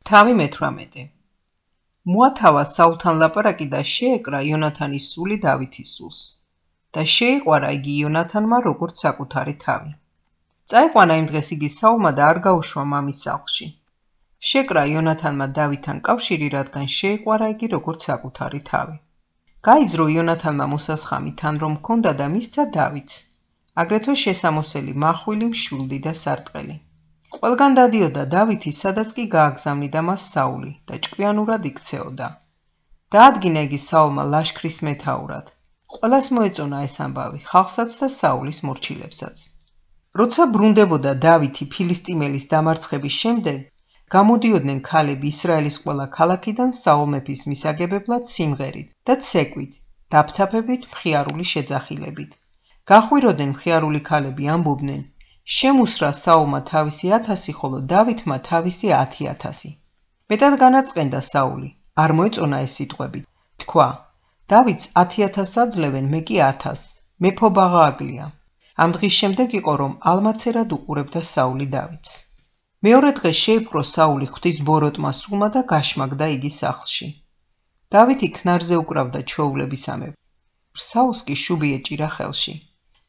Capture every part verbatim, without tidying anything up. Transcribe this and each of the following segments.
თავი მეთვრამეტე. მოათავა საულთან ლაპარაკი და შეეკრა იონათანის სული დავითის სულს და შეიყვარა იგი იონათანმა როგორც საკუთარი თავი. წაიყვანა იმ დღეს იგი საულმა და არ გაუშვა მამის სახლში. შეკრა იონათანმა დავითთან კავშირი, რადგან შეიყვარა იგი როგორც საკუთარი თავი. გაიძრო იონათანმა მოსასხამი თან რომ ჰქონდა და მისცა დავითს, აგრეთვე შესამოსელი მახვილი, მშვილდი და სარტყელი. ყველგან დადიოდა დავითი, სადაც კი გააგზავნიდა მას საული და ჭკვიანურად იქცეოდა. დაადგინა იგი საულმა ლაშქრის მეთაურად. ყველას მოეწონა ეს ამბავი, ხალხსაც და საულის მორჩილებსაც. როცა ბრუნდებოდა დავითი ფილისტიმელის დამარცხების შემდეგ, გამოდიოდნენ ქალები ისრაელის ყველა ქალაქიდან საულ მეფის მისაგებებლად სიმღერით და ცეკვით, დაფთაფებით, მხიარული შეძახილებით. გახვიროდნენ მხიარული ქალები, ამბობდნენ: შემუსრა საულმა თავისი ათასი, ხოლო დავითმა თავისი ათი ათასი. მეტად განაწყენდა საული, არ მოეწონა ეს სიტყვები. თქვა: დავითს ათი ათასს აძლევენ, მე კი ათასს, მეფობა გააგლია. ამ დღის შემდეგ იყო, რომ ალმაცერად უყურებდა საული დავითს. მეორე დღეს შეიპყრო საული ღვთის ბოროტმა სულმა და გაშმაგდა იგი სახლში. დავითი ქნარზე უკრავდა ჩვეულებისამებრ. საულს კი შუბი ეჭირა ხელში.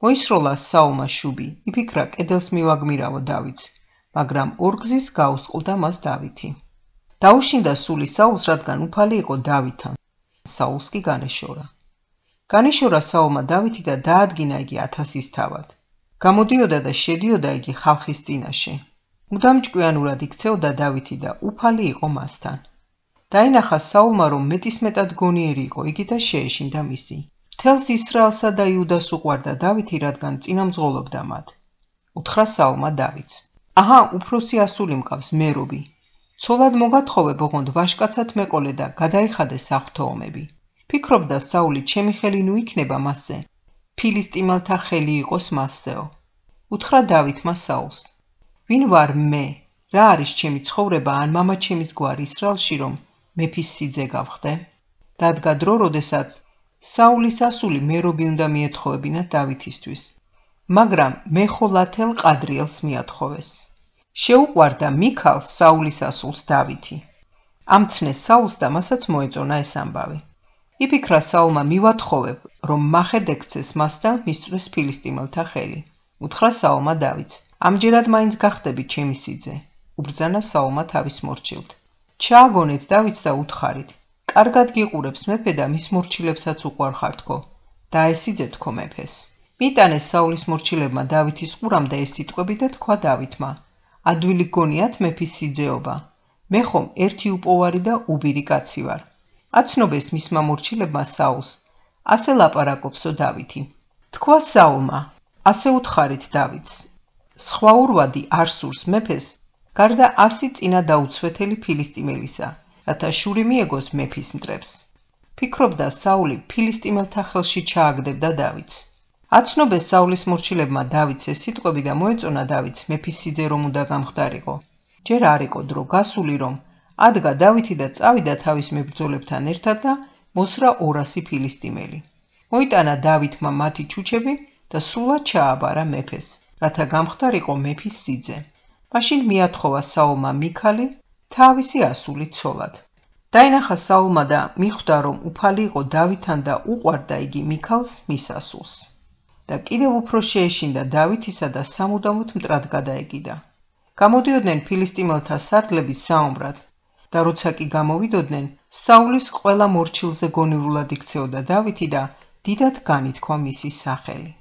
მოისროლა საულმა შუბი, იფიქრა კედელს მივაგმირავო დავითს, მაგრამ ორგზის გაუსყლდა მას დავითი. დაუშინდა სული საულს, რადგან უფალი იყო დავითთან. საულს კი განეშორა. განეშორა საულმა დავითი და დაადგინა იგი ათასის თავად. გამოდიოდა და შედიოდა იგი ხალხის წინაშე. მუდამ ჭკვიანურად იქცეოდა დავითი და უფალი იყო მასთან. დაინახა საულმა, რომ მეტისმეტად გონიერი იყო იგი და შეეშინდა მისი. მთელს ისრაელსა და იუდას უყვარდა დავითი, რადგან წინამძღოლობდა მათ. უთხრა საულმა დავითს: აჰა, უფროსი ასული მყავს, მერობი. ცოლად მოგათხოვე, ოღონდ ვაშკაცად მეყოლე და გადაიხადე საღვთო ომები. ფიქრობდა საული, ჩემი ხელი ნუ იქნება მასზე, ფილისტიმელთა ხელი იყოს მასზეო. უთხრა დავითმა საულს: ვინ ვარ მე, რა არის ჩემი ცხოვრება ან მამაჩემის გვარი ისრაელში, რომ მეფის სიძე გავხდე? დადგა დრო, როდესაც საულის ასული მერობი უნდა მიეთხოვებინა დავითისთვის, მაგრამ მეხოლათელ ყადრიელს მიათხოვეს. შეუყვარდა მიქალს საულის ასულს დავითი. ამცნეს საულს და მასაც მოეწონა ეს ამბავი. იფიქრა საულმა მივათხოვებ, რომ მახედ ექცეს მას და მისწვდეს ფილისტიმელთა ხელი. უთხრა საულმა დავითს: ამჯერად მაინც გახდები ჩემი სიძე. უბრძანა საულმა თავის მორჩილთ. ჩააგონეთ დავითს და უთხარით: კარგად გიყურებს მეფე და მის მორჩილებსაც უყვარხართქო. დაესიძე თქო მეფეს. მიტანეს საულის მორჩილებმა დავითის ყურამ და ეს სიტყვები და თქვა დავითმა: ადვილი გონიათ მეფის სიძეობა. მე ხომ ერთი უპოვარი და უბირი კაცი ვარ. აცნობეს მისმა მორჩილებმა საულს. ასე ლაპარაკობსო დავითი. თქვა საულმა: ასე უთხარით დავითს. სხვა ურვადი არ სურს მეფეს, გარდა ასი წინა დაუცვეთელი ფილისტიმელისა, რათა შური მიეგოს მეფის მტრებს. ფიქრობდა საული ფილისტიმელთა ხელში ჩააგდებდა დავითს. აცნობეს საულის მორჩილებმა დავითს ეს სიტყვები და მოეწონა დავითს მეფის სიძე რომ უნდა გამხდარიყო. ჯერ არ იყო დრო გასული, რომ ადგა დავითი და წავიდა თავის მებრძოლებთან ერთად და მოსრა ორასი ფილისტიმელი. მოიტანა დავითმა მათი ჩუჩები და სრულად ჩააბარა მეფეს, რათა გამხდარიყო მეფის სიძე. მაშინ მიათხოვა საულმა მიქალი თავისი ასული ცოლად. დაინახა საულმა და მიხვდა, რომ უფალი იყო დავითთან და უყვარდა იგი მიქალს, მის ასულს. და კიდევ უფრო შეეშინდა დავითისა და სამუდამოდ მტრად გადაეკიდა. გამოდიოდნენ ფილისტიმელთა სარდლები საომრად და როცა კი გამოვიდოდნენ, საულის ყველა მორჩილზე გონივრულად იქცეოდა დავითი და დიდად განითქვა მისი სახელი.